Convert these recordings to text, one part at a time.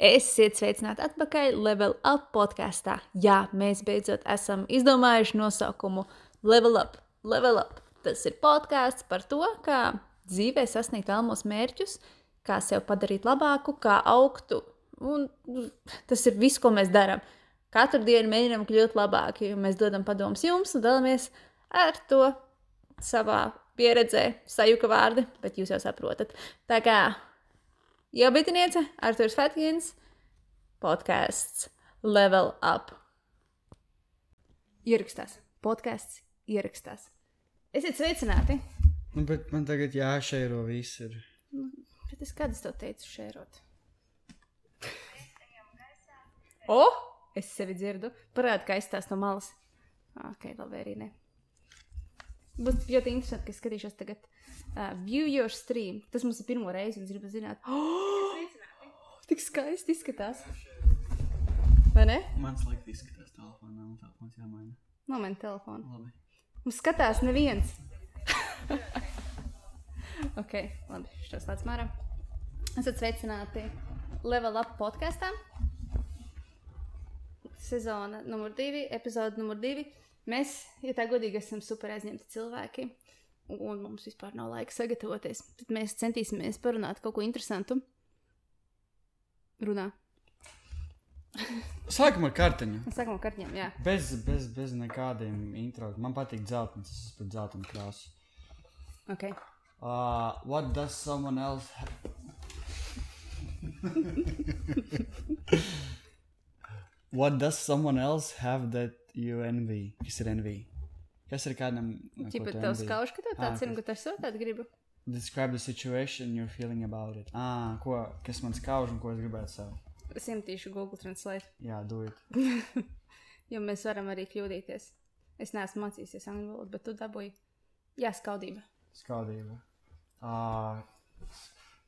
Esiet sveicināti atpakaļ Level Up podkastā. Jā, mēs beidzot esam izdomājuši nosaukumu Level Up. Level Up. Tas ir podkāsts par to, kā dzīvē sasniegt vēlamos mērķus, kā sev padarīt labāku, kā augtu. Un tas ir viss, ko mēs darām. Katru dienu mēģinām kļūt labāki, jo mēs dodam padomus jums un dalāmies ar to savā pieredzē, sajuka vārdi, bet jūs jau saprotat. Tā kā jau bitiniece, Arturs Fetkins, podcasts Level Up. Ierakstās. Podcasts ierakstās. Esiet sveicināti. Nu, bet man tagad jāšēro viss ir. Bet es kad es tev teicu šērot? Es sevi dzirdu. Parādi, kā izstās no malas. Ok, labi, arī ne. Būs ļoti interesanti, ka skatīšos tagad View Your Stream. Tas mums ir pirmo reizi, un es gribu zināt. Tik skaisti izskatās. Vai ne? Man slikti izskatās telefonā, un telefons jāmaina. Moment telefonu. Labi. Mums skatās neviens. Ok, labi, šitos tāds mārā. Esat sveicināti Level Up podkastā. Sezona numur 2, epizode numur 2. Mēs, ja tā godīgi, esam super aizņemti cilvēki, un mums vispār nav laika sagatavoties. Tad mēs centīsimies parunāt kaut ko interesantu. Runā. Sākam ar kartiņu. Sākam ar kartiņiem, jā. Bez nekādiem intro. Man patīk dzeltens, es pēc dzeltenu krāsu. Ok. What does someone else What does someone else have that you envy? Kas ir envy? Kas ir kādam, Ķipa tev skauž, ka tev tāds ir, un ka tu esi tādu gribu? Describe the situation you're feeling about it. Kas man skauž un ko es gribētu sev? Es iemetīšu Google Translate. Jā, do it. Jo mēs varam arī kļūdīties. Es neesmu mācījusies angļu valodu, bet tu dabūji. Jā, skaudība. Skaudība.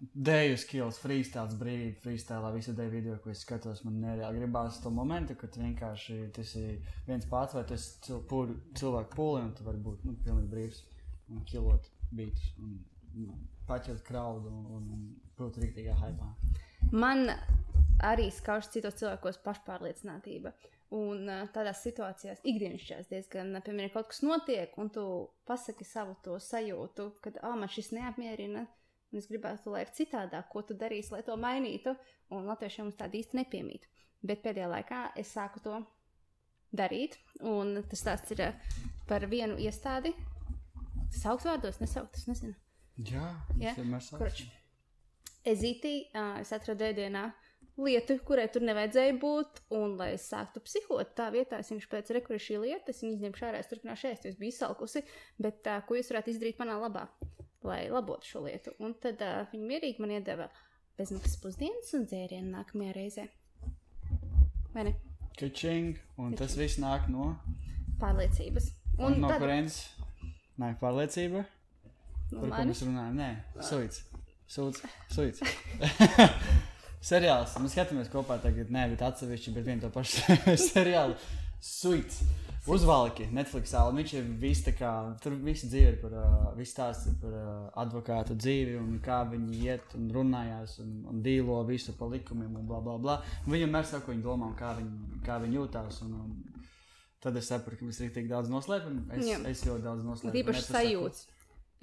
Deju skills, freestyles, brīvība, freestylā visu deju video, ko es skatos, man nereāli gribās to momentu, kad vienkārši tu esi viens pats, vai tu esi cilvēku pūli, un tu vari būt, pilnīgi brīvs, un kilot beatus, un paķert crowdu, un būt rīktīgā hypā. Man arī skauž citos cilvēkos pašpārliecinātība, un tādās situācijās ikdienišķās diezgan, piemēram, kaut kas notiek, un tu pasaki savu to sajūtu, kad, man šis neapmierina, un es gribētu, lai ir citādāk, ko tu darīsi, lai to mainītu, un latviešiem mums tāda īsti nepiemīt. Bet pēdējā laikā es sāku to darīt, un tas stāsts ir par vienu iestādi. Saukt vārdos, nesaukt, es nezinu. Jā, es vienmēr saucu. Ezītī, es atradu ēdienā lietu, kurai tur nevajadzēja būt, un lai es sāktu psihot, tā vietā es vienkārši pēc kur ir šī lieta, es viņu izņemšu ārā, es turpināšu ēst, jo es biju izsalkusi, bet ko jūs varētu izdarīt manā labā, lai labotu šo lietu. Un tad viņi mierīgi man iedeva bezmaksas pusdienas un dzērienu nākamajā reizē. Vai ne? Kačing, un tas viss nāk no? Pārliecības. Un no kurienes nāk pārliecība? No par ko manis? mēs runājam? Nē, suits. Seriāls, mēs skatāmies kopā tagad, bet atsevišķi, bet vienu to pašu seriālu. Suits. Uzvalki Netflixā, un viņš ir viss tā kā, tur visi dzīve ir par, viss stāsts ir par advokātu dzīvi, un kā viņi iet un runājās, un dīlo visu pa likumiem, un bla, bla, bla. Viņam mēr saka, ko viņi domā, un kā viņi jūtās, un tad es saprotu, ka mēs rīktīgi daudz noslēpam, es ļoti daudz noslēpam. Īpaši sajūts.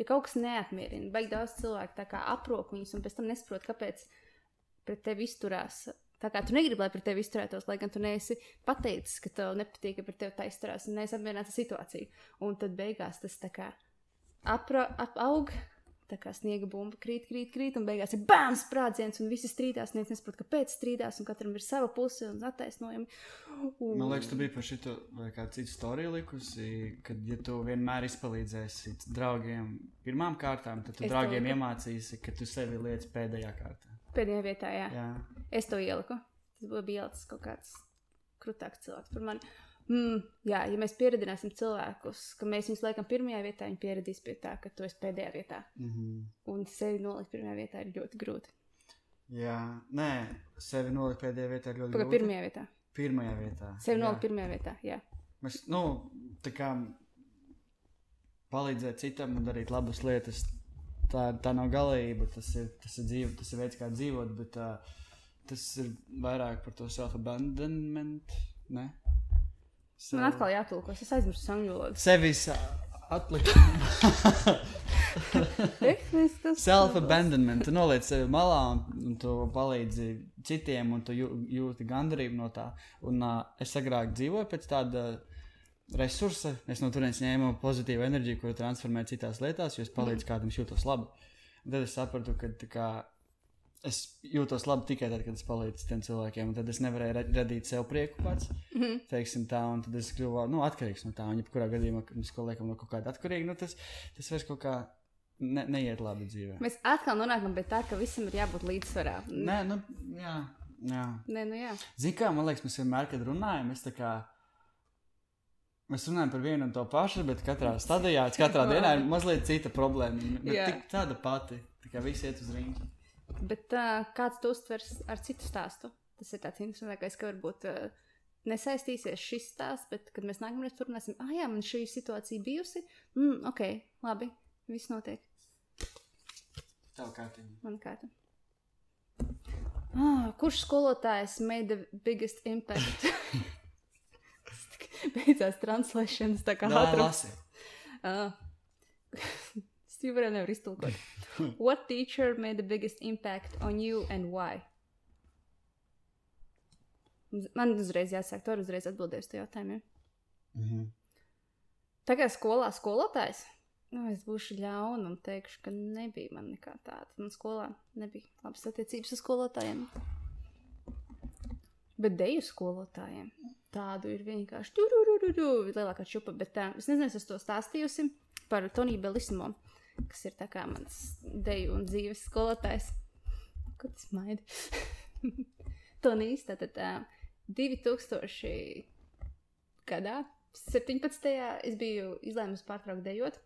Ja kaut kas neapmierina, baigi daudz cilvēku tā kā aprok viņus, un pēc tam nesaprot, kāpēc pret tevi izturās. Tā kā tu negribi, lai pret tevi izturētos, lai gan tu neesi pateicis, ka tev nepatīk, ka pret tevi tā izturās un neesi apmierināta situāciju. Un tad beigās tas tā kā aug, tā kā sniega bumba krīt, un beigās ir bām sprādziens, un visi strīdās, neviens nesaprot, kāpēc strīdās, un katram ir sava puse un attaisnojumi. Man liekas, tu biji par šito vai kādu citu storiju likusi, kad, ja tu vienmēr izpalīdzēsi draugiem pirmām kārtām, tad tu draugiem iemācīsi, ka tu sevi liec pēdējā kārtā. Pēdējā vietā, jā. Jā. Es to ieliku. Tas bija ielicis kaut kāds krutāks cilvēks par mani. Jā, ja mēs pieredināsim cilvēkus, ka mēs viņus liekam pirmajā vietā, viņi pieredīs pie tā, ka tu esi pēdējā vietā. Un sevi nolikt pirmajā vietā ir ļoti grūti. Jā, nē, sevi nolikt pēdējā vietā ir ļoti grūti. Pirmajā vietā. Pirmajā vietā. Sevi nolikt pirmajā vietā, jā. Mēs, tā kā palīdzēt citam un darīt labas lietas, tā nav galība, tas ir dzīve, tas ir veids, kā dzīvot, bet tas ir vairāk par to self-abandonment, ne? Man atkal jātulkos, es aizmirstu angļu valodu. Sevis atlikt. Self-abandonment. Tu noliec sevi malā un tu palīdzi citiem un tu jūti gandarību no tā. Un es agrāk dzīvoju pēc tāda resursa. Es no turienes ņēmu pozitīvu enerģiju, ko transformēju citās lietās, jo es palīdzu kādam jūtos labi. Un tad es sapratu, ka tā kā es jūtos labi tikai tad, kad es palīdzu tiem cilvēkiem, un tad es nevarēju radīt sev prieku pats, teiksim tā, un tad es kļuvu, atkarīgs no tā, un jebkurā gadījumā, kad mēs liekam no kaut kāda atkarīga, tas vairs kaut kā neiet labi dzīvē. Mēs atkal nonākam pie tā, ka visam ir jābūt līdzsvarā. Nē, jā. Nē, jā. Zini kā, man liekas, mēs vienmēr, kad runājam, mēs runājam par vienu un to pašu, bet katrā stadijā, katrā dienā ir mazliet cita problēma, bet tik tāda pati, tā kā visi iet uz riņķi. Bet kāds to uztvers ar citu stāstu? Tas ir tāds interesantākais, ka varbūt nesaistīsies šis stāsts, bet kad mēs nākamreiz turpināsim, jā, man šī situācija bijusi, ok, labi, viss notiek. Tavu kārtiņu. Man kārtiņu. Kurš skolotājs made the biggest impact? Beidzās translations, tā kā ātrums. Es varēju nevar iztulkot. What teacher made the biggest impact on you and why? Man uzreiz jāsāk, tu uzreiz atbildēju uz to jautājumu. Tā kā skolā skolotājs, es būšu ļauna un teikšu, ka nebija man nekā tāda. Man skolā nebija labas attiecības ar skolotājiem. Bet deju skolotājiem tādu ir vienkārši lielākā čupa, bet es nezinu, es to stāstījusi par Toniju Bellissimo, kas ir tā kā mans deju un dzīves skolotājs. Ko tas maidi? Tonijs, tātad 2000 gadā, 17. es biju izlēmusi pārtraukt dejot,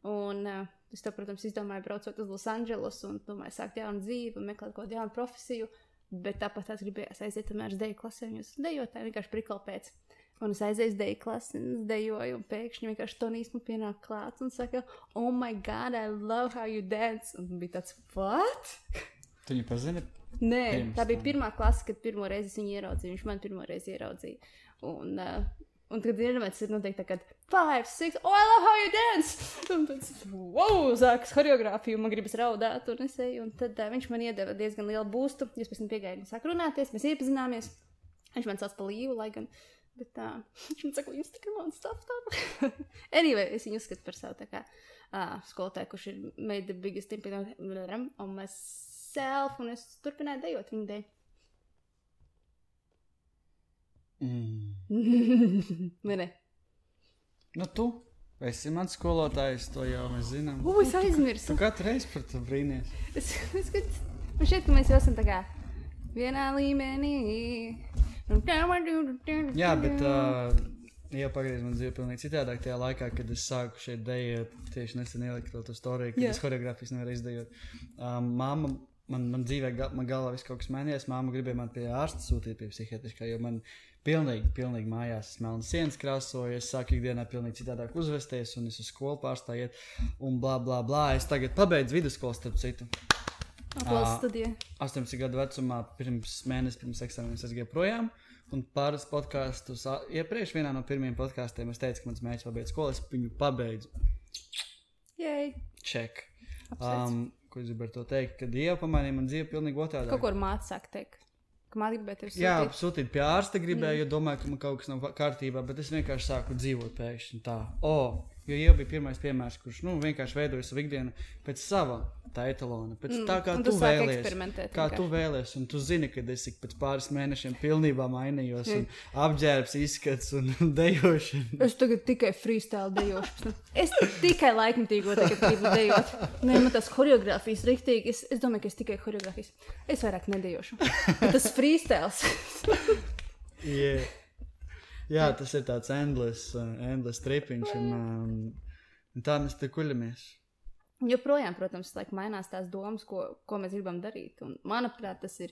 un es to, protams, izdomāju braucot uz Los Angeles un domāju sākt jaunu dzīvi un meklēt kaut jaunu profesiju, bet tāpat tās gribējās aiziet tomēr uz deju klasē, un jūs dejotāji vienkārši prikal pēc. Un es aizēju deju klasi, un es dejoju, un pēkšņi vienkārši Tonijs man pienāk klāts un saka, oh my God, I love how you dance. Un bija tāds, what? Tu viņu pazini? Nē, tā bija pirmā klase, kad pirmo reizi viņu ieraudzīju, viņš man pirmo reizi ieraudzīja. Un tagad vienmēr ir noteikti tā, kad 5, 6, oh, I love how you dance! Un tad, wow, sākas horeogrāfiju, man gribas raudāt, un es eju, un tad viņš man iedeva diezgan lielu būstu, jūs pēc tam piegāju un sāk runāties, mēs iepazināmies, viņš man sauc pa Līvu, lai gan, bet viņš man saka, Instagram un stuff. Anyway, es viņu uzskatu par savu tā kā skolotāju, kurš ir made the biggest impact on myself, un es turpināju dejot viņu dēļ. Vai ne? Nu tu esi mans skolotājs, to jau mēs zinām. Es aizmirsu. Tu katru reizi par to brīnies. Man šķiet, ka mēs jau esam tā kā vienā līmenī. Jā, bet jau pagriez man dzīve pilnīgi citādāk tajā laikā, kad es sāku šeit dejot, tieši nesen ieliku to storiju, kad es horeogrāfijas nevaru izdejot. Mamma, man dzīvē, man galvā viss kaut kas mainījās, mamma gribēja man pie ārsta sūtīt pie psihiatriskā, jo man pilnīgi mājās melnas sienas krāsoju, es sāku ikdienā pilnīgi citādāk uzvesties, un es uz skolu pārstāju iet, un blā, blā, blā. Es tagad pabeidzu vidusskolu, starp citu. Aplausi studijā. 18 gadu vecumā, pirms eksāmeniem es gāju projām, un pāris podkastus iepriekš vienā no pirmiem podkastiem es teicu, ka mans mērķis pabeidz skolu, es viņu pabeidzu. Jej. Check. Ko es gribu ar to teikt, kad Dieva pamainīja man dzīvi pilnīgi otrādā. Kaut ko ar māti sāk teikt. Ka māti gribēja tevi sūtīt? Jā, sūtīt pie ārsta gribēju, jo domāju, ka man kaut kas nav kārtībā, bet es vienkārši sāku dzīvot pēkšņi tā. Jo jau bija pirmais piemērs, kurš vienkārši veidoja savu ikdienu pēc sava tā etalona, pēc tā, kā tu vēlies. Kā tu vēlies, un tu zini, ka es pēc pāris mēnešiem pilnībā mainījos, un apģērbs, izskats un dejošana. Es tagad tikai freestyle dejošu. Es tikai laikmatīgo tagad gribu dejot. Nē, man tās horeogrāfijas riktīgi, es domāju, ka es tikai horeogrāfijas. Es vairāk nedejošu. Bet tas freestyles. Yeah. Jā, tas ir tāds endless tripiņš, un tā mēs te kuļamies. Joprojām, protams, mainās tās domas, ko mēs gribam darīt. Un, manuprāt, tas ir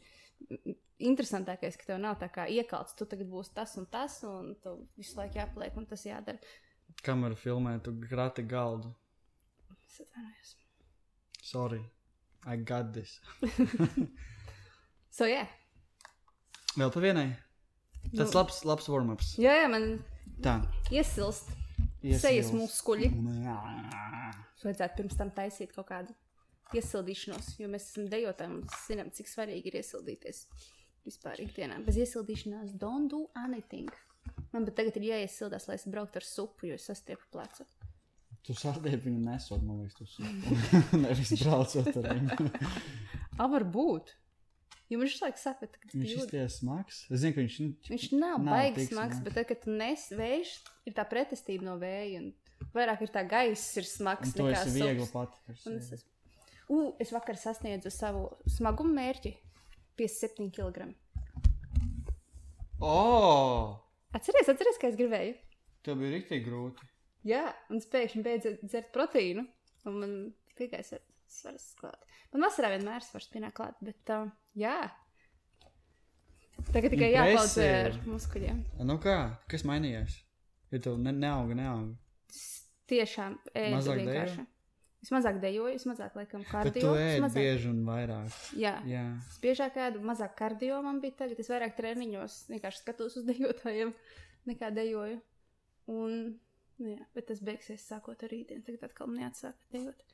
interesantākais, ka tev nav tā kā iekalts, tu tagad būsi tas, un tu visu laiku jāpaliek, un tas jādara. Kamera filmē, tu grati galdu. Es atvainojos. Sorry, I got this. So, yeah. Vēl pa vienai? Tas labs warm-ups. Jā, man Tā. iesilst sejas muskuļi. Vajadzētu pirms tam taisīt kaut kādu iesildīšanos, jo mēs esam dejotāji un zinām, cik svarīgi ir iesildīties vispār ikdienā. Bez iesildīšanās don't do anything. Man bet tagad ir jāiesildās, lai es brauktu ar supu, jo es sastiepu plecu. Tu sastiepi viņu nesot, man liekas, tu supu. Nevis braucot ar viņu. Varbūt. Jo man šis laiks saka, ka Viņš izties smags. Es zinu, ka viņš nav baigi smags, bet tad, kad tu nes vējš, ir tā pretestība no vēja. Un vairāk ir tā gaiss ir smags to nekā esi viegli sups. pati. Es vakar sasniedzu savu smagumu mērķi. 57 kg. Atceries, kā es gribēju? Tev bija riktīgi grūti. Jā, un es pēkšņi beidzu dzert proteīnu, un man tikai svars klāt. Man vasarā vienmēr svars pienāk klāt, bet jā. Tagad tikai jāpaudzē ar muskuļiem. Nu kā? Kas mainījās? Ja tev neauga? Tiešām ēdu Mazāk vienkārši. dejo? Es mazāk dejoju, es mazāk laikam Bet kardio. tu ēd bieži un vairāk. Jā. Jā. Es biežāk ēdu, mazāk kardio man bija tagad. Es vairāk treniņos vienkārši skatos uz dejotājiem, nekā dejoju. Un, jā, bet tas beigsies sākot ar rītdienu. Tagad atkal neatsāk dejot.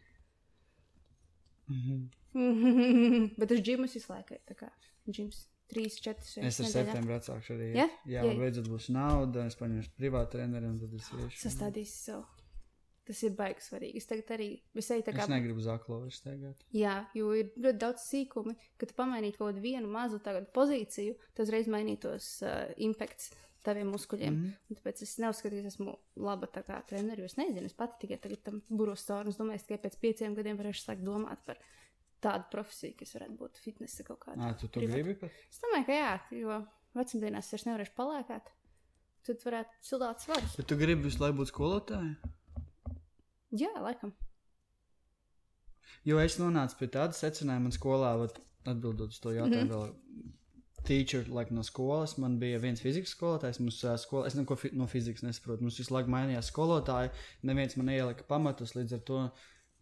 Bet uz džimus visu laiku. Tā kā džims 3-4 Es ar septembri atsākšu arī. Ja? Jā, man beidzot būs nauda, es paņemšu privātu treneri un tad es iešu. Sastādīsi sev. Tas ir baigi svarīgi. Es tagad arī visai tā kā... Es negribu zaklo vairs tagad. Jā, jo ir ļoti daudz sīkumi, kad tu pamainītu kaut kādu vienu mazu tagad pozīciju, tad uzreiz mainītos impakts taviem muskuļiem. Un tāpēc es neuzskatīju, es esmu laba tā kā treneri, jo es nezinu, es pati tikai tagad tam buros cauri, un es domāju, tikai pēc 5 gadiem varēšu sākt domāt par tādu profesiju, kas varētu būt fitnesa kaut kāda. Tu gribi pat? Es domāju, ka jā, jo vecumdienās es nevarēšu palēkāt, tad varētu cildāt svarus. Bet tu gribi visu laiku būt skolotāji? Jā, laikam. Jo es nonācu pie tāda secinājuma man skolā, atbildot uz to jautājumu vēl teacher, no skolas, man bija viens fizikas skolotājs, es neko no fizikas nesaprotu, mums visu laiku mainījās skolotāji, neviens man ielika pamatus, līdz ar to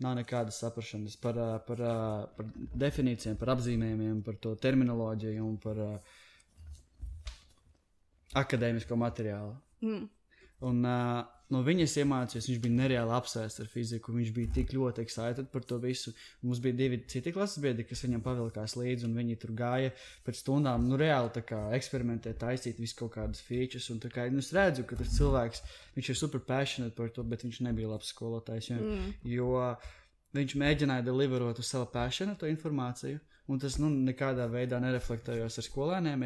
nav nekādas saprašanas par definīcijām, par apzīmējumiem, par to terminoloģiju un par akadēmisko materiālu. Un no viņas iemācījos, viņš bija nereāli apsēsts ar fiziku, viņš bija tik ļoti excited par to visu. Mums bija 2 citi klases biedri, kas viņam pavilkās līdzi, un viņi tur gāja pēc stundām, reāli tā kā eksperimentēt, taisīt visu kaut kādas features, un tā kā, es redzu, ka tas cilvēks, viņš ir super passionate par to, bet viņš nebija labs skolotājs, jo viņš mēģināja deliverot uz sava passiona to informāciju, un tas, nekādā veidā nereflektējos ar skolēniem,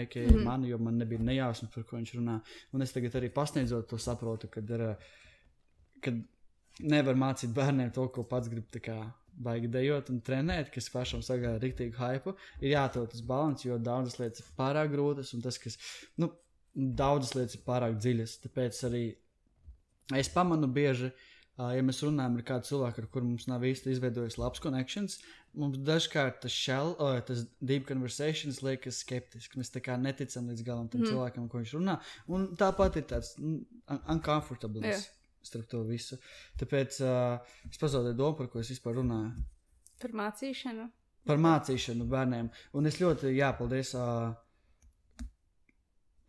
jo man nebija nejausmas, par ko viņš runā. Un es tagad arī pasniedzot to saprotu, kad nevar mācīt bērniem to, ko pats grib tā kā baigi dejot un trenēt, kas pašam sagāja riktīgu hypu, ir jāatrod tas balans, jo daudzas lietas ir pārāk grūtas, un tas, kas, daudzas lietas ir pārāk dziļas. Tāpēc arī es pamanu bieži, ja mēs runājam ar kādu cilvēku, ar kuru mums nav īsti izveidojis labs connections, mums dažkārt tas deep conversations liekas skeptiski. Mēs tā kā neticam līdz galam tam cilvēkam, ko viņš runā. Un tāpat ir tāds uncomfortableness starp to visu. Tāpēc es pazaudēju domu, par ko es vispār runāju. Par mācīšanu? Par mācīšanu bērniem. Un es ļoti, paldies,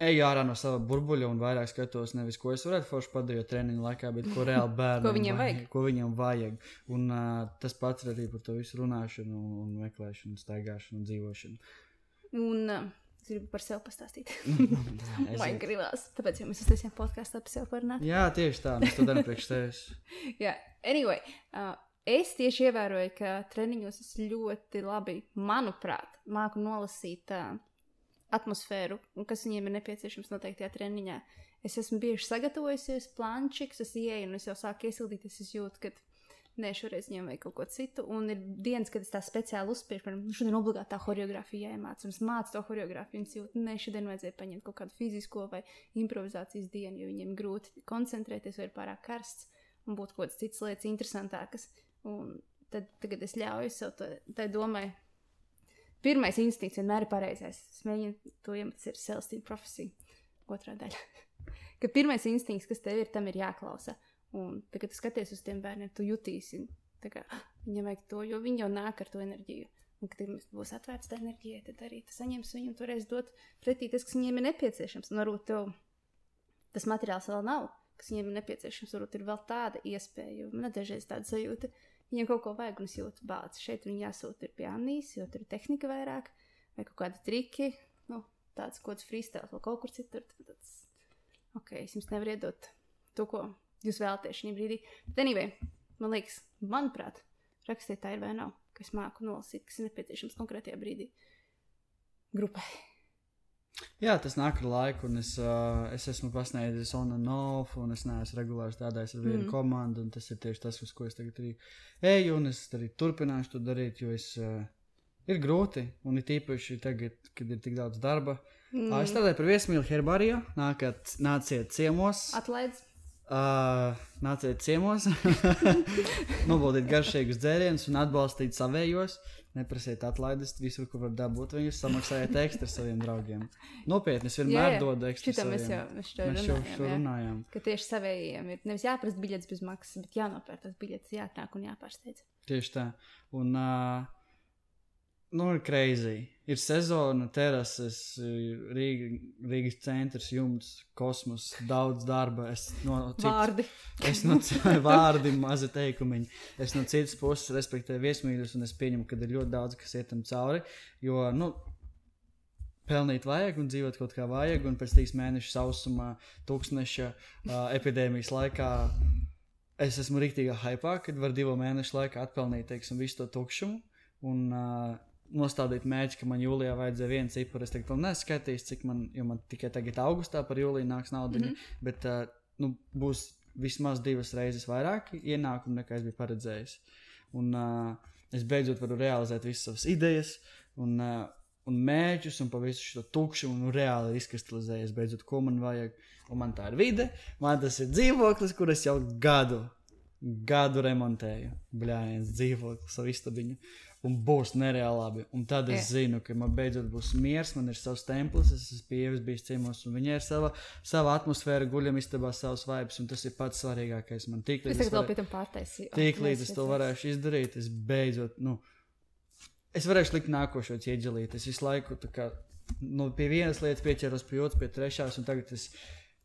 eju ārā no sava burbuļa un vairāk skatos nevis, ko es varētu forši padarīt treniņu laikā, bet ko reāli bērniem ko viņam vajag. Un tas pats arī par to visu runāšanu un meklēšanu, staigāšanu un dzīvošanu. Un gribu par sevi pastāstīt. Vai gribās, tāpēc jau mēs uztaisījām podkāstu par sevi parunāt. Jā, tieši tā, mēs to darām priekš tevis. Jā, anyway, es tieši ievēroju, ka treniņos es ļoti labi, manuprāt, māku nolasīt atmosfēru, un kas viņiem ir nepieciešams noteiktajā treniņā. Es esmu bieži sagatavojusies, plančiks, es ieeju un es jau sāku iesildīties, es jūtu, ka šoreiz viņiem vajag kaut ko citu, un ir dienas, kad es tā speciāli uzspiežu, piemēram, šodien obligāti tā horeogrāfija jāiemāc, un es mācu to horeogrāfiju, un es jūtu, šodien vajadzēja paņemt kaut kādu fizisko vai improvizācijas dienu, jo viņiem grūti koncentrēties, vai ir pārāk karsts, un būtu kaut kādas citas lietas interesantākas, un tad tagad es ļauju sev tai domai. Pirmais instinkts vienmēr ir pareizais. Es mēģinu to iemest ir self-esteem profesija. Otrā daļa. Ka pirmais instinkts, kas tev ir, tam ir jāklausa. Un tad, kad tu skaties uz tiem bērniem, tu jutīsi. Tā kā viņam vajag to, jo viņi jau nāk ar to enerģiju. Un, kad būs atvērts tā enerģija, tad arī tas saņems viņam toreiz dot pretī tas, kas viņiem ir nepieciešams. Un varbūt tev tas materiāls vēl nav, kas viņiem ir nepieciešams. Varbūt ir vēl tāda iespēja, jo man dažreiz tāda sajūta, viņiem kaut ko vajag un es jūtu bāci. Šeit viņi jāsūta ir pie Annijas, jo tur ir tehnika vairāk, vai kaut kādi triki, nu, tāds kods freestyle vēl kaut kur citur. Tāds, ok, es jums nevaru iedot to, ko jūs vēlaties šajā brīdī. Bet anyway, man liekas, manuprāt, rakstīt tā ir vai nav, ka es māku nolasīt, kas ir nepieciešams konkrētajā brīdī grupai. Jā, tas nāk ar laiku, un es esmu pasniedzis on and off, un es neesmu regulāri strādājis ar vienu komandu, un tas ir tieši tas, uz ko es tagad arī eju, un es arī turpināšu to darīt, jo ir grūti, un ir tīpaši tagad, kad ir tik daudz darba. Es strādāju par viesmīli Herbārijā, nāciet ciemos. Atlaidz. Nāciet ciemos, nobaldīt garšīgus dzērienus un atbalstīt savējos. Neprasiet atlaides visur, kur var dabūt viņus, samaksājiet ekstra saviem draugiem. Nopietni, es vienmēr dodu ekstra saviem. Mēs jau runājām. Ka tieši savējiem ir nevis jāprast biļetes bez maksas, bet jānopēr tas biļetes, jāatnāk un jāpārsteidz. Tieši tā. Un, ir crazy. Ir sezona, terases, Rīgas centrs, jumts, kosmos, daudz darba. Vārdi, mazi teikumiņi. Es no citas puses respektēju viesmīļus, un es pieņemu, ka ir ļoti daudz, kas ietam cauri. Jo, pelnīt vajag un dzīvot kaut kā vajag, un pēc 3 mēnešu sausumā, tūkstneša epidēmijas laikā es esmu riktīgā hypā, kad var 2 mēnešu laikā atpelnīt, teiksim, visu to tukšumu. Un nostādīt mērķi, ka man jūlijā vajadzēja 1 ciparu. Es tagad vēl neskaitīs, cik jo man tikai tagad augustā par jūliju nāks naudiņa, bet būs vismaz 2 reizes vairāk ienākumu, nekā es biju paredzējis. Un es beidzot varu realizēt visas savas idejas un mērķus un pa visu šo tukšumu un reāli izkristalizējies beidzot, ko man vajag. Un man tā ir vide, man tas ir dzīvoklis, kur es jau gadu remontēju. Bļājiens dzīvoklis, savu istabiņu. Un būs nereāli labi. Un tad es zinu, ka man beidzot būs miers, man ir savs templis, es esmu pie Ievas bijis ciemos, un viņai ir sava atmosfēra, guļam istabā savs vibes, un tas ir pats svarīgākais. Man es tagad vēl pie tam pārtaisīju. Tīklīdz es to varēšu izdarīt, es beidzot, es varēšu likt nākošo ķieģelīt. Es visu laiku tā kā, pie vienas lietas pieķeros, pie otras, pie trešās, un tagad es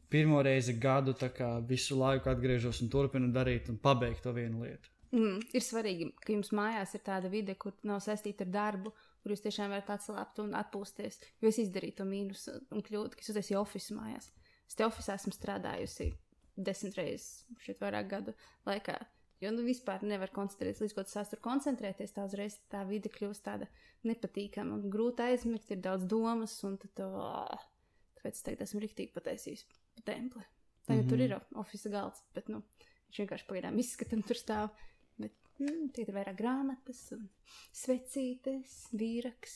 pirmo reizi gadu tā kā visu laiku atgriežos un turpinu darīt un pabeigt to vienu lietu. Ir svarīgi, ka jums mājās ir tāda vide, kur nav saistīta ar darbu, kur jūs tiešām varat atslābt un atpūsties. Jo es izdarīju to mīnus un kļūdu, ka es uztaisīju ofisu mājās. Es te ofisā esmu strādājusi 10 reizes šeit vairāk gadu laikā. Jo vispār nevar koncentrēties, līdz ko tas tur koncentrēties, tā uzreiz tā vide kļūst tāda nepatīkama un grūti aizmigt, ir daudz domas, un tad tāpēc es tagad esmu riktīgi pataisījis pa templi. Tagad tur ir ofisa galds, bet viņš vienkārši pagaidām izskatam tur stāv. Bet tagad ir vairāk grāmatas un svecītes, vīraks,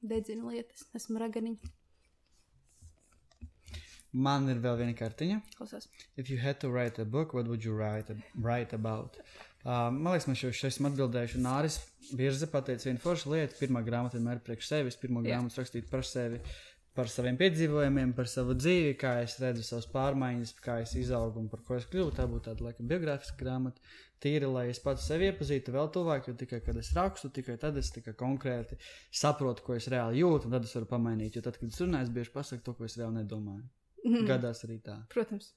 dedzina lietas, esmu raganiņa. Man ir vēl viena kartiņa. Klausās. If you had to write a book, what would you write about? Man liekas, man šeit esmu atbildējuši. Nāris Virze pateica vienu foršu lietu. Pirmā grāmata vienmēr priekš sevis. Pirmā grāmata rakstīt par sevi, par saviem piedzīvojumiem, par savu dzīvi, kā es redzu savas pārmaiņas, kā es izaugu un par ko es kļuvu. Tā būtu tāda, laikam, biogrāfiska grāmata. Tīri, lai es pats sevi iepazītu vēl tuvāk, jo tikai, kad es rakstu, tikai tad es tikai konkrēti saprotu, ko es reāli jūtu, un tad es varu pamainīt. Jo tad, kad es runāju, es bieži pasaku to, ko es reāli nedomāju. Gadās arī tā. Protams.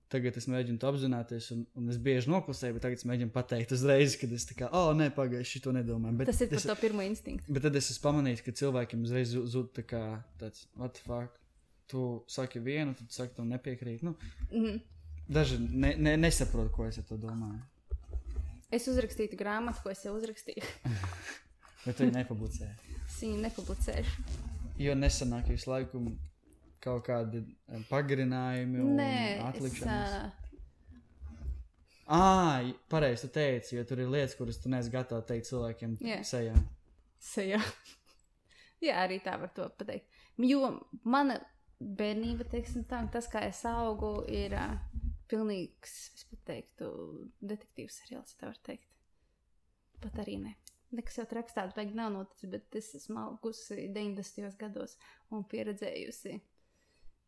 Tagad es mēģinu to apzināties, un es bieži noklusēju, bet tagad es mēģinu pateikt uzreiz, kad es tā kā, pagaiši, šito nedomāju. Bet tas ir par to pirmo instinktu. Bet tad es esmu pamanījis, ka cilvēkiem uzreiz zūd tā kā tāds, what the fuck, tu saki vienu, tad saki, tu nepiekrīt. Daži nesaprot, ko es ar to domāju. Es uzrakstītu grāmatu, ko es jau uzrakstīju. Bet tu viņu nepublicēji. Es viņu nepublicēšu. Jo nesanāk visu laiku kaut kādi pagarinājumi un atlikšanas. Pareizi tu teici, jo tur ir lietas, kuras tu neesi gatava teikt cilvēkiem sejā. Sejā. Jā, arī tā var to pateikt. Jo mana bērnība, teiksim tā, tas, kā es augu, ir pilnīgs, es pat teiktu, detektīvs seriāls, tā var teikt. Pat arī ne. Nekas jau rakstāt, vajag nav noticis, bet es esmu augusi 90. gados un pieredzējusi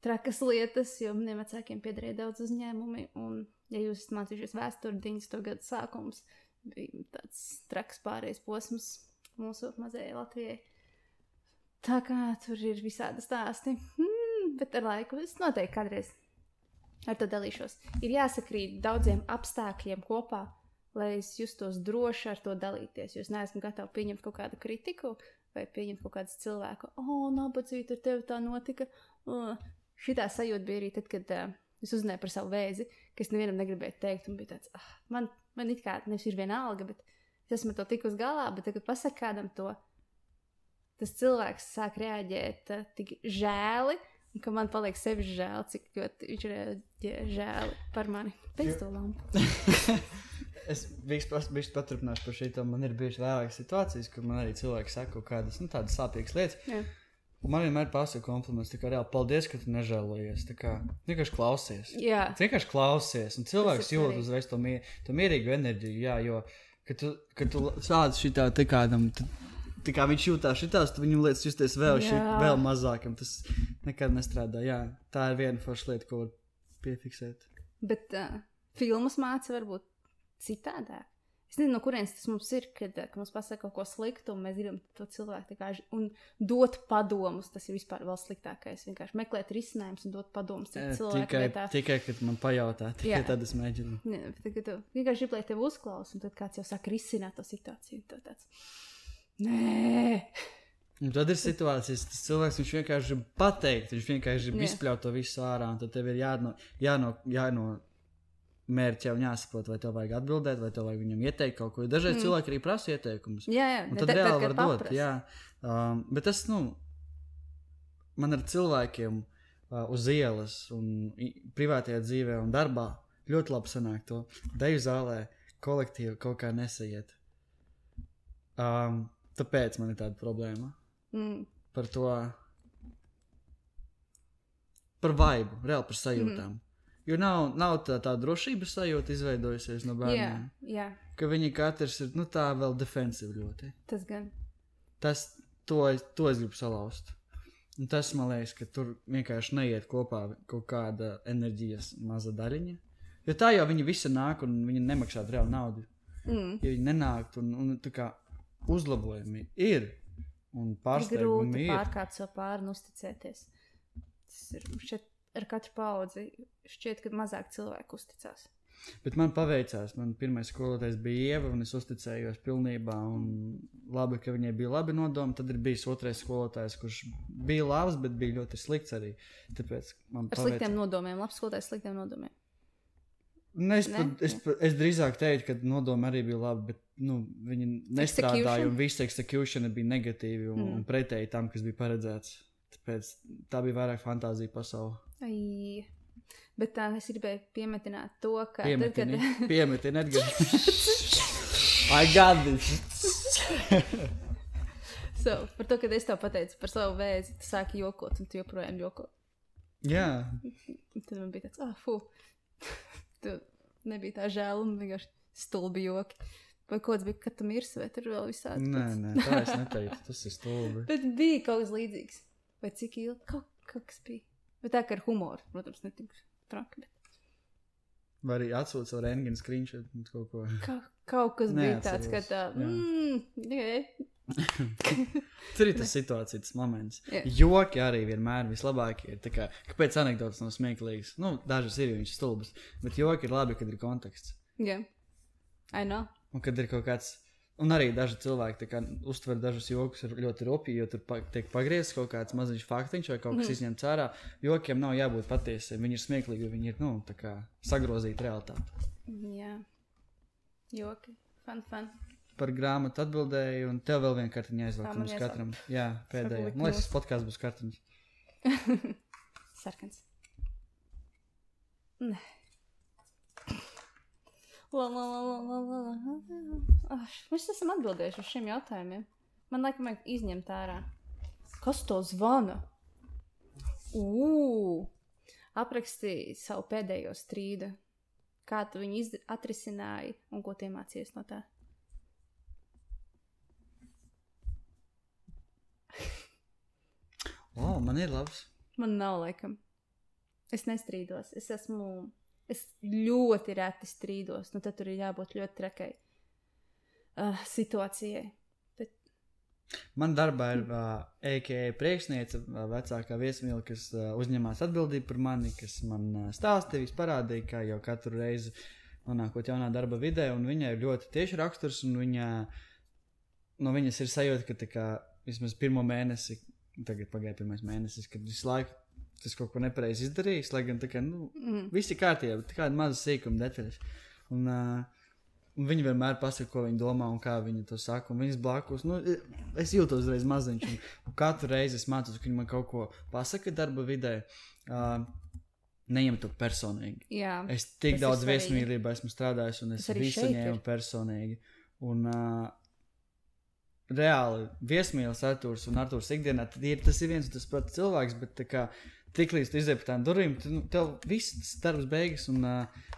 trakas lietas, jo maniem vecākiem piederēja daudz uzņēmumi, un, ja jūs esat mācījušies vēsturi 90. gadu sākums, bija tāds traks pārējais posms mūsu mazajai Latvijai. Tā kā tur ir visādi stāsti. Bet ar laiku es noteikti kādreiz ar to dalīšos. Ir jāsakrīt daudziem apstākļiem kopā, lai es justos droši ar to dalīties. Jo es neesmu gatava pieņemt kaut kādu kritiku vai pieņemt kaut kādu cilvēku. Nabadzīt, ar tevi tā notika. Šitā sajūta bija arī tad, kad es uzzināju par savu vēzi, ka es nevienam negribēju teikt. Un bija tāds, man it kā nevis ir vienalga, bet es esmu to tikus galā, bet tagad pasaka kādam to, tas cilvēks sāk reaģēt tik žēli, un ka man paliek sevi žēl, cik viņš reaģē žēli par mani. Pēc to lampu. Es bišķi paturpināšu par šito. Man ir bijuši vairākas situācijas, kur man arī cilvēki saka kaut kādas, tādas sāpīgas lietas. Jā. Un man vienmēr pasaka kompliments, tā kā reāli paldies, ka tu nežēlojies. Tā kā vienkārši klausies. Jā. Vienkārši klausies. Un cilvēks jūt uzreiz to mierīgu enerģiju, jā, jo, kad tu sāc šitā te kādam, tā kā viņš jūtās šitās, tu viņam lietas justies vēl mazākam. Tas nekad nestrādā, jā. Tā ir viena forša lieta, ko var piefiksēt. Bet filmas māca varbūt citādāk. Es nezinu, no kurienes tas mums ir, kad mums pasaka kaut ko sliktu, un mēs gribam to cilvēku un dot padomus. Tas ir vispār vēl sliktākais. Vienkārši meklēt risinājumus un dot padomus cilvēku vietā. Tikai, kad man pajautā, tikai tad es mēģinu. Tagad tu vienkārši grib, lai tevi uzklaus, un tad kāds jau saka risināt to situāciju. Tāds, nē! Un tad ir situācijas, tas cilvēks, viņš vienkārši grib pateikt, viņš vienkārši grib izpļaut to visu ārā, un tad tev ir jāno mērķi un jāsaprot, vai tev vajag atbildēt, vai tev vajag viņam ieteikt kaut ko. Dažreiz cilvēki arī prasa ieteikumus. Jā, un tad reāli var dot. Jā. Bet tas, man ar cilvēkiem uz ielas un privātajā dzīvē un darbā ļoti labi sanāk to. Deju zālē kolektīvi kaut kā nesaiet. Tāpēc man ir tāda problēma. Par to, par vaibu, reāli par sajūtām. Jo nav tā drošības sajūta izveidojusies no bērniem. Jā. Ka viņi katrs ir, tā vēl defensivi ļoti. Tas gan. To es gribu salauzt. Un tas, man liekas, ka tur vienkārši neiet kopā kaut kāda enerģijas maza daļiņa. Jo tā jau viņi visi nāk un viņi nemaksātu reāli naudu. Ja viņi nenākt un tā kā uzlabojumi ir un pārsteigumi ir. Grūti pārkāpt savu pāri un uzticēties. Tas ir šeit ar katru paudzi šķiet, ka mazāk cilvēku uzticās. Bet man paveicās. Man pirmais skolotājs bija Ieva, un es uzticējos pilnībā. Un labi, ka viņai bija labi nodomi. Tad ir bijis otrais skolotājs, kurš bija labs, bet bija ļoti slikts arī. Tāpēc man ar sliktiem nodomiem. Labs skolotājs sliktiem nodomiem. Es drīzāk teiktu, ka nodomi arī bija labi, bet viņi nestrādāja, un viss execution bija negatīvi un pretēji tam, kas bija paredzēts. Tāpēc tā bija vairāk fantāzija pasaule. Bet tā es gribēju piemetināt to, ka... Piemetini, Edgar. I got this. Par to, kad es tev pateicu par savu vēzi, tu sāki jokot, un tu joprojām joko. Jā. Tad man bija tāds, tu nebija tā žēl, un vienkārši stulbi joki. Vai kaut kas bija, kad tu mirsi, vai tur vēl visādi? Nē, tā es neteicu, tas ir stulbi. Bet bija kaut kas līdzīgs. Vai cik ilgi? Kaut kas bija. Bet tā kā ar humoru, protams, netik traki. Vai arī atsūt savu rentgenu screenshot kaut ko. Kaut kas bija tāds, ka tā... Tur ir tas situācija, tas moments. Joki arī vienmēr vislabākie ir. Tā kā, kāpēc anekdotas nav smieklīgas? Dažas ir, viņš stulbas. Bet joki ir labi, kad ir konteksts. Jā. I know. Un kad ir kaut kāds... Un arī daži cilvēki uztver dažus jokus ļoti rupji, jo tur tiek pagriezts kaut kāds maziņš faktiņš vai kaut kas izņemts ārā. Jokiem nav jābūt patiesiem. Viņi ir smieklīgi, jo viņi ir, tā kā sagrozīti realitāti. Jā. Joki. Fun. Par grāmatu atbildēju, un tev vēl viena kartiņa aizvelk mums katram. Jā, pēdējā. Man liekas, podkāsts būs kartiņas. Sarkans. Nē. Mēs esam atbildējuši uz šiem jautājumiem. Man laikam vajag izņemt ārā. Kas to zvana? Aprakstīja savu pēdējo strīdu. Kā tu viņu atrisināji un ko tu iemācījies no tā? Man ir labs. Man nav laikam. Es nestrīdos. Es ļoti reti strīdos. Tad tur ir jābūt ļoti trekai. situācijai. Man darbā ir EKE priekšniece, vecākā viesmīla, kas uzņemās atbildību par mani, kas man stāstīja, parādīja, kā jau katru reizi nonākot jaunā darba vidē, un viņai ir ļoti tieši raksturs, un no viņas ir sajūta, ka tā kā vismaz pirmo mēnesi, tagad pagāja pirmais mēnesis, kad visu laiku tas kaut ko nepareizi izdarījis, lai gan tā kā, visi kārtībā, bet kāda maza sīkuma detaļas. Un viņi vienmēr pasaka, ko viņi domā un kā viņi to saka. Un viņas blakus, es jūtos uzreiz maziņš. Un katru reizi es mācos, ka viņi man kaut ko pasaka darba vidē. Neņem to personīgi. Jā, es tik daudz viesmīlībā esmu strādājis, un es visu ņēmu personīgi. Un reāli viesmīlis Artūrs un Artūrs ikdienā, tas ir viens un tas pats cilvēks, bet tā kā tiklīdz tu izej pa tām durvīm, tev viss tas darbs beigas, un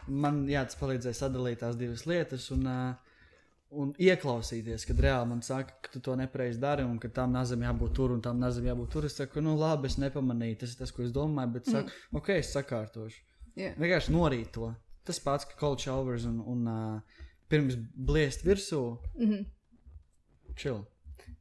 man tas palīdzēja sadalīt tās divas lietas un ieklausīties, kad reāli man saka, ka tu to nepareizi dari un ka tām nazam jābūt tur un tām nazam jābūt tur. Es saku, labi, es nepamanīju, tas ir tas, ko es domāju, bet saku, ok, es sakārtošu. Yeah. Vienkārši norīt to. Tas pats, ka cold showers un pirms bliest virsū, chill.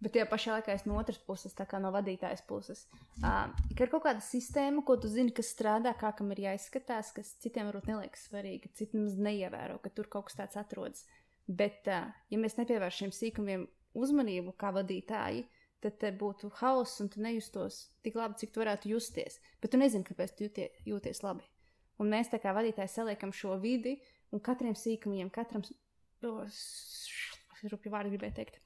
Bet tajā pašā laikā es no otras puses, tā kā no vadītājas puses. Ir kaut kāda sistēma, ko tu zini, kas strādā, kā kam ir jāizskatās, kas citiem varbūt neliekas svarīgi, ka citi mums neievēro, ka tur kaut kas tāds atrodas. Bet, ja mēs nepievērš šiem sīkumiem uzmanību kā vadītāji, tad te būtu hauss un tu nejustos tik labi, cik tu varētu justies. Bet tu nezini, kāpēc tu jūties labi. Un mēs tā kā vadītāji saliekam šo vidi un katriem sīkumiem, rupju vārdu gribēju teikt.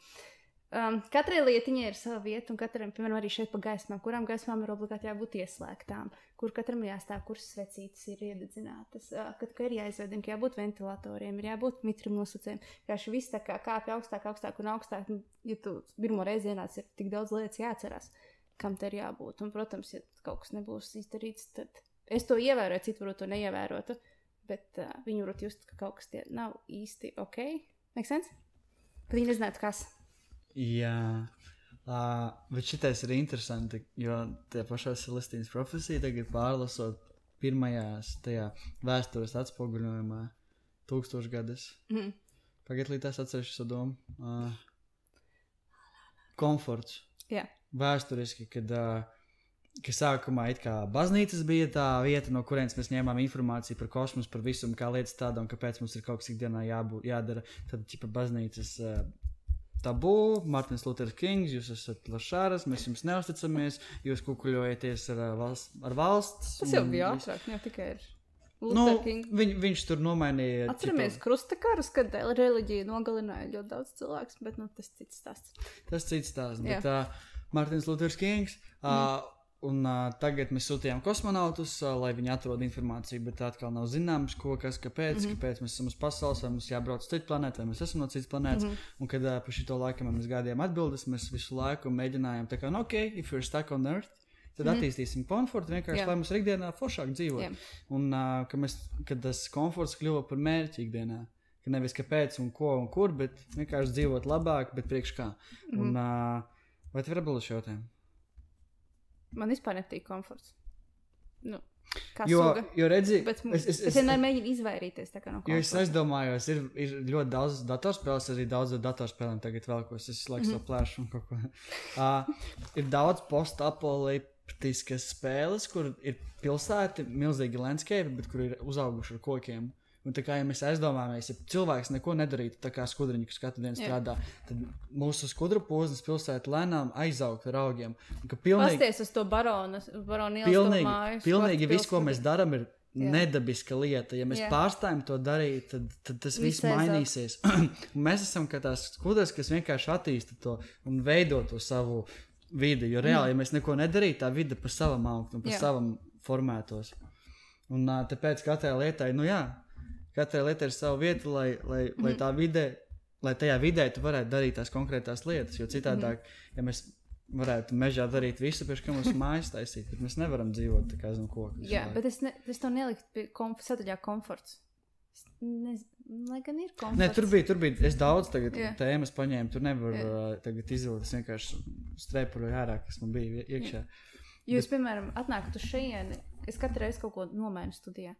Katrai lietiņai ir sava vieta, un katram, piemēram, arī šeit pa gaismām, kurām gaismām ir obligāti jābūt ieslēgtām, kur katram jāstāv, kuras svecītes ir iededzinātas, ka ir jāizvedina, ka jābūt ventilatoriem, ir jābūt mitrumu nosacējiem, vienkārši viss tā kā kāpja augstāk un augstāk, ja tu pirmo reizi ienāc, ir tik daudz lietas jāatcerās, kam te ir jābūt, un, protams, ja kaut kas nebūs izdarīts, tad es to ievēroju, citi varbūt to neievērotu, bet viņi varbūt just, ka kaut kas tie nav īsti ok, make sense? Bet viņi nezinātu, kas. Jā, bet šitais ir interesanti, jo tie pašā Celestīnas profesija tagad pārlasot pirmajās tajā vēstures atspoguļojumā 1000 gadus. Pagad līdz tās atcerēšu savu domu. Komforts. Jā. Vēsturiski, kad sākumā it kā baznīcas bija tā vieta, no kurienes mēs ņēmām informāciju par kosmosu, par visu, kā lietas tāda un kāpēc mums ir kaut kas ikdienā jādara. Tad ķipa baznīcas tabū, Martins Luthers Kings, jūs esat lašāras, mēs jums neusticamies, jūs kukuļojaties ar valsts. Tas jau bija ātrāk, jau tikai ir Luther King. Viņš tur nomainīja. Atceramies krustakarus, kad reliģija nogalināja ļoti daudz cilvēks, bet tas cits stāsts. Tas cits stāsts, bet Martins Luthers Kings, un tagad mēs sūtījām kosmonautus, lai viņi atrod informāciju, bet atkal nav zināms, kāpēc mēs esam uz pasaules, vai mums jābrauc uz citu planētu, vai mēs esam no citas planētas. Un kad pa šito laiku mēs gaidījām atbildes, mēs visu laiku mēģinājām tā kā, ok, if you're stuck on Earth, tad attīstīsim komfortu, vienkārši, lai mums ir ikdienā foršāk dzīvot. Un kad tas komforts kļuva par mērķi ikdienā, ka nevis kāpēc un ko un kur, bet vienkārši dzīvot labāk, bet priekš kā. Un vai tev ir atbildes šo jautājumu? Man vispār nepatīk komforts. Jo redzi, es vienmēr mēģinu izvairīties no komforta. Jo es aizdomājos, ir ļoti daudz datorspēles, arī daudz datorspēlēm tagad vēlkos, es laiks to plēšu un kaut ko. Ir daudz postapokaliptiskas spēles, kur ir pilsēti, milzīgi landscape, bet kur ir uzauguši ar kokiem. Un tā kā ja mēs aizdomājamies, ja cilvēks neko nedarītu, tā kā skudriņi, kas katru dienu strādā, tad mūsu skudru poznas pilsēta lēnām aizaugt ar augiem. Pasties uz to baronu ielas māju. Pilnīgi viss, ko mēs daram, ir nedabiska lieta. Ja mēs pārstājam to darīt, tad tas viss mainīsies. Mēs esam kā tās skudras, kas vienkārši attīsta to un veido to savu vidi. Jo reāli, ja mēs neko nedarītu, tā vide pa savam augt un pa savam formētos. Un tāpēc katrai lietai, katrai lietai ir sava vieta, lai tā vidē, lai tajā vidē tu varētu darīt tās konkrētās lietas, jo citādāk, ja mēs varētu mežā darīt visu, pēc kā mums mājas taisīt, tad mēs nevaram dzīvot tā kā zem koku. Jā, bet es to neliktu pie sadaļā komforts. Lai gan ir komforts. Nē, tur bija, es daudz tagad tēmas paņēmu, tur nevar tagad izvilkt, es vienkārši strēpuļoju ārā, kas man bija iekšā. Jūs, piemēram, atnākat uz šejieni, es katru reizi kaut ko nomainu studijā.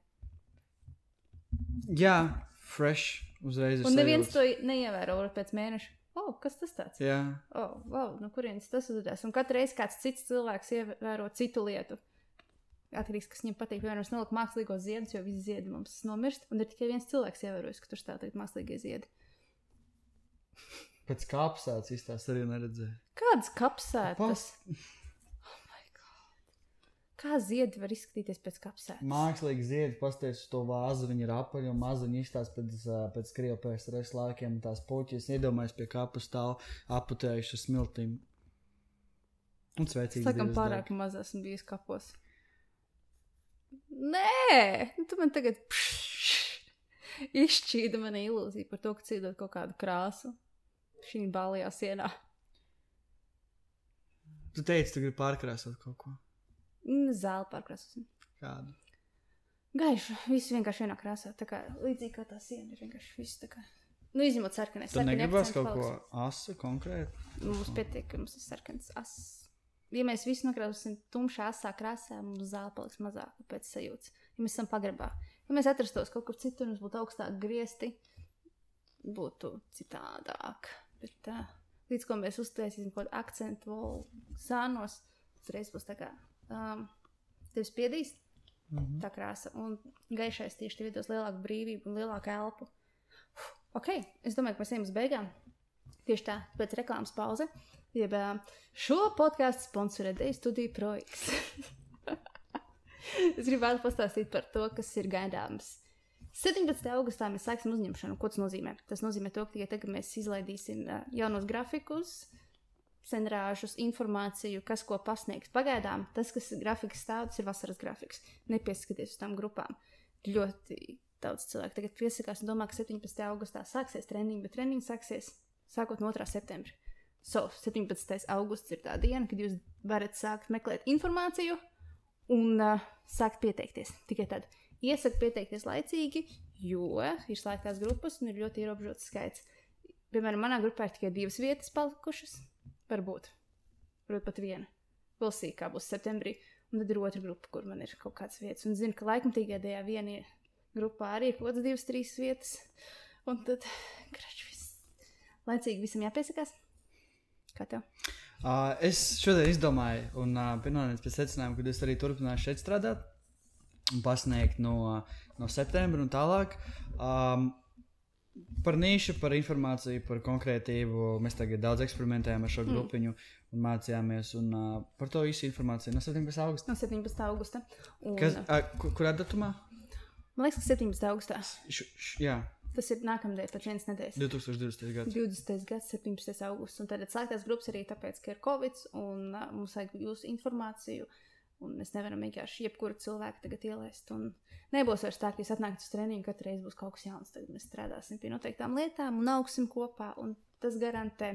Jā, fresh Uzreiz ir Un neviens sajūta. to neievēro pēc mēneša. Kas tas tāds? Jā. No kurienes tas uzvedās? Un katru reizi kāds cits cilvēks ievēro citu lietu. Atkarīgs, kas viņam patīk. Piemēram, es noliku mākslīgos ziedus, jo visi ziedi mums nomirst. Un ir tikai viens cilvēks ievērojis, ka tur stāv tagad mākslīgie ziedi. Pēc kapsētas izstāst arī neredzēju. Kādas kapsētas? Kā ziedi var izskatīties pēc kapsētas? Mākslīgi ziedi, pasties uz to vāzu, viņi ir apaļi un maziņi izstāst pēc Krievu PSRS laikiem. Tās puķis iedomājas pie kapu stāv aputējuši smiltīm. Un sveicīgi. Sakam pārāk maz esmu bijis kapos. Nē! Tu man tagad izšķīda mana ilūzija par to, ka cīdot kaut kādu krāsu šī balajā sienā. Tu teici, tu gribi pārkrāsot kaut ko. Zāli pārkrāsosim. Kādu? Gaišu, viss vienkārši vienā krāsā. Tā kā līdzīgi kā tā siena ir vienkārši viss tā kā. Izņemot sarkanais. Tu negribas kaut ko asu konkrēti? Mums pietiek, ka mums ir sarkans ass. Ja mēs visi nokrāsosim tumšā asā krāsā, mums zāle paliks mazāk pēc sajūtas. Ja mēs esam pagrabā. Ja mēs atrastos kaut kur citur, mums būtu augstāk griezti, būtu citādāk. Bet tā, līdz ko mēs uztaisīsim kaut kādu akcentu vēl sānos, uzreiz būs tā kā tevi spiedīs tā krāsa. Un gaišais tieši tev dos lielāku brīvību un lielāku elpu. Ok, es domāju, ka mēs ejam uz beigām. Tieši tā, pēc reklāmas pauze. Jeb šo podcastu sponsorē Deju studiju Pro-X. Es gribētu pastāstīt par to, kas ir gaidāms. 17. augustā mēs sāksim uzņemšanu. Ko tas nozīmē? Tas nozīmē to, ka tikai tagad mēs izlaidīsim jaunos grafikus, senrāžus, informāciju, kas ko pasniegs. Pagaidām tas, kas grafikas stāv, tas ir vasaras grafiks. Nepieskaties uz tām grupām. Ļoti daudz cilvēku tagad piesakās un domā, ka 17. augustā sāksies treniņi, bet treniņi sāksies sākot no 2. septembra. 17. augusts ir tā diena, kad jūs varat sākt meklēt informāciju un sākt pieteikties. Tikai tad iesaku pieteikties laicīgi, jo ir slēgtās grupas un ir ļoti ierobežots skaits. Piemēram, manā grupā ir tikai 2 vietas palikušas. Varbūt pat viena. Vēl sīk, kā būs septembrī. Un tad ir otra grupa, kur man ir kaut kādas vietas. Un zinu, ka laikmatīgajā viena grupā arī ir kaut kādas 2-3 vietas. Un tad laicīgi visam jāpiesakās. Kā tev? Es šodien izdomāju un pienācu pie secinājuma, ka es arī turpināšu šeit strādāt un pasniegt no septembra un tālāk. Par nišu, par informāciju, par konkrētību. Mēs tagad daudz eksperimentējam ar šo grupiņu un mācījāmies. Un, par to visu informāciju no 17. augusta. No 17. augusta. Un, kurā datumā? Man liekas, ka 17. augustā. Jā. Tas ir nākamdien, pēc 1 nedēļas. 2020. gads. 20. gads, 17. augusts. Un tad slēgtās grupas arī tāpēc, ka ir Covid un mums vajag jūsu informāciju. Un mēs nevaram vienkārši jebkuru cilvēku tagad ielaist. Un nebūs vairs tā, ka jūs atnākat uz treniņu, katru reizi būs kaut kas jauns. Tagad mēs strādāsim pie noteiktām lietām un augsim kopā. Un tas garantē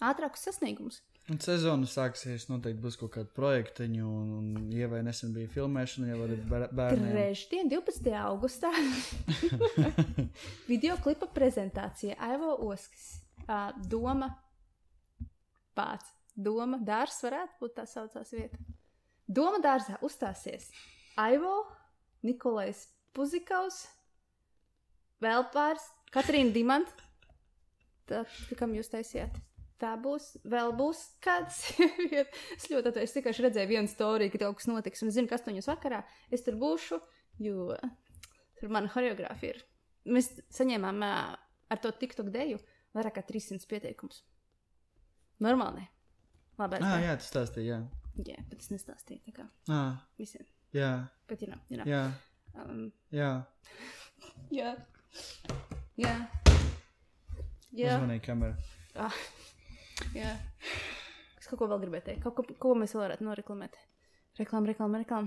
ātrākus sasniegumus. Un sezonu sāksies, noteikti būs kaut kāda projektiņu, un Ievai nesen bija filmēšana, jau ar bērniem. Trešdien, 12. augustā, videoklipa prezentācija Aivo Oskis. Doma dārs varētu būt tā saucās vieta. Doma dārzā uzstāsies Aivo, Nikolais Puzikaus, vēl pāris, Katrīna Dimanta. Tā, kam jūs taisījāt? Tā būs, vēl būs kāds. Es ļoti atveju, es tikai redzēju vienu storiju, ka kaut kas notiks. Un es zinu, ka 8 vakarā es tur būšu, jo tur mana horeogrāfija ir. Mēs saņēmām ar to TikTok deju vairāk kā 300 pieteikumus. Normāli. Labi. Jā, tu stāstīji, jā. Jā, bet es nestāstīju, tā kā visiem. Jā. Bet, you know. Jā. Jā. Jā. Jā. Uzmanīgi kamera. Jā. Es kaut ko vēl gribēju teikt. Ko mēs vēl varētu noreklamēt? Reklāma.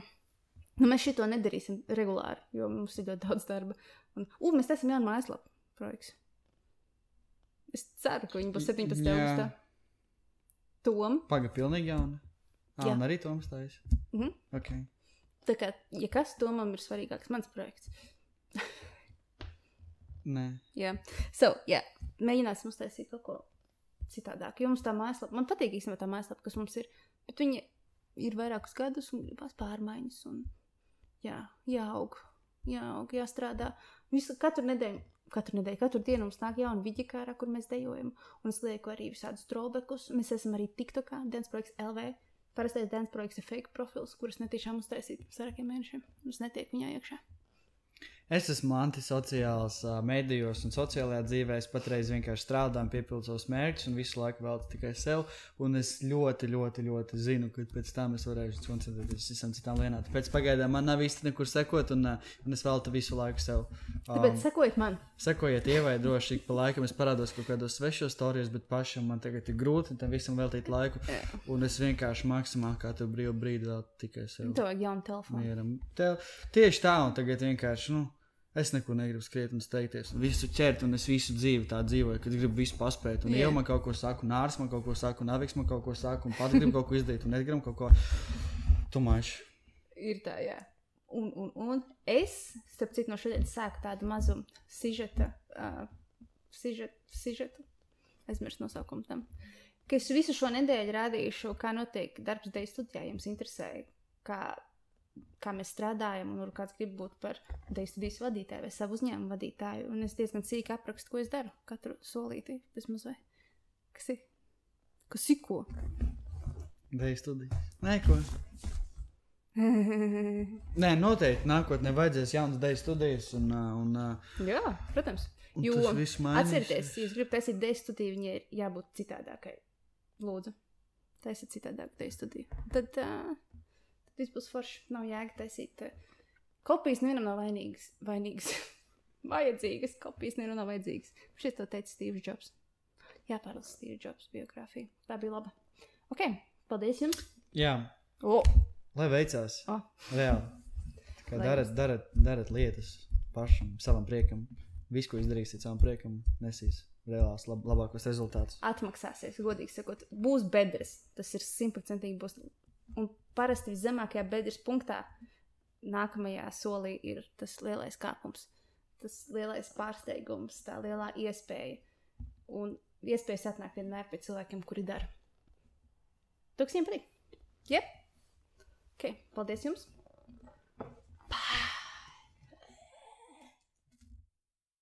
Nu, mēs šito nedarīsim regulāri, jo mums ir ļoti daudz darba. Un, mēs taisam jaunu mājaslapu projekts. Es ceru, ka viņi būs 17. augustā. Tom. Paga pilnīgi jauna. Un arī Toms taisa. Okay. Tā kā, ja kas, Tomam ir svarīgāks mans projekts. Nē. Jā. Mēģināsim uztaisīt kaut ko citādāk. Jo mums tā mājaslapa, man patīk īstenībā tā mājaslapa, kas mums ir, bet viņa ir vairākus gadus un gribās pārmaiņas un jāaug, jāstrādā. Katru nedēļu katru nedēļu, katru dienu mums nāk jauna vidjikārā, kur mēs dejojam. Un es lieku arī visādus trollbackus. Mēs esam arī TikTokā, Dance Projekts LV. Parastais Dance Projekts ir fake profils, kurus netiešām uztaisīt sarākiem mēnešiem. Es netieku viņā iekšā. Es esmu antisociāls medijos un sociālajā dzīvē. Es patreiz vienkārši strādāju, piepildu savus mērķus un visu laiku veltu tikai sev. Un es ļoti zinu, ka pēc tam es varēšu koncentrēties visam citām lietām. Tāpēc pagaidām man nav īsti nekur sekot un es veltu visu laiku sev. Tāpēc sekojiet man. Sekojiet Ievai droši, ik pa laikam es parādos kaut kādos svešos storijos, bet pašam man tagad ir grūti tam visam veltīt laiku. Un es vienkārši maksimāli katru brīvu brīdi veltu tikai sev. Tev vajag jaunu telefonu. Mieram. Tieši tā, un tagad vienkārši, es neko negribu skriet un steigties, un visu ķert, un es visu dzīvi tā dzīvoju, kad gribu visu paspēt, un Ieva man kaut ko saka, un Nārs man kaut ko saka, un Aviks man kaut ko saka, un pat gribu kaut ko izdarīt, un es gribu kaut ko tumāšu. Ir tā, jā. Un es, starp citu, no šodienas sāku tādu mazu sižeta, aizmirst nosaukumu tam, ka es visu šo nedēļu rādīšu, kā notiek darbs deju studijā, jums interesē, kā mēs strādājam, un kāds grib būt par deju studijas vadītāju vai savu uzņēmumu vadītāju. Un es diezgan cīki aprakstu, ko es daru. Katru solīti, bezmaz vai. Kas ir? Kas ir ko? Deju studijas. Nē, ko? Nē, noteikti nākotnē vajadzēs jaunas deju studijas. Jā, protams. Jo atcerieties, ja jūs gribat taisīt deju studiju, viņai ir jābūt citādākai. Lūdzu, taisiet citādāku deju studiju. Tad viss būs forši, nav jēga taisīt. Kopijas nevienam nav vainīgas. Vajadzīgas, kopijas nevienam nav vajadzīgas. Šeit to teica Steve Jobs. Jāpārlasa Steve Jobs biogrāfija. Tā bija laba. Ok, paldies jums. Jā. Lai veicās. Reāli. Tā kā darat lietas pašam, savam priekam. Visu, ko izdarīsiet savam priekam, nesīs reālās labākos rezultātus. Atmaksāsies, godīgi sakot. Būs bedres. Tas ir 100% būs. Un parasti viszemākajā bedres punktā nākamajā solī ir tas lielais kāpums, tas lielais pārsteigums, tā lielā iespēja. Un iespējas atnāk vienmēr pie cilvēkiem, kuri dara. Tuksiem patīk. Jep. Ok, paldies jums.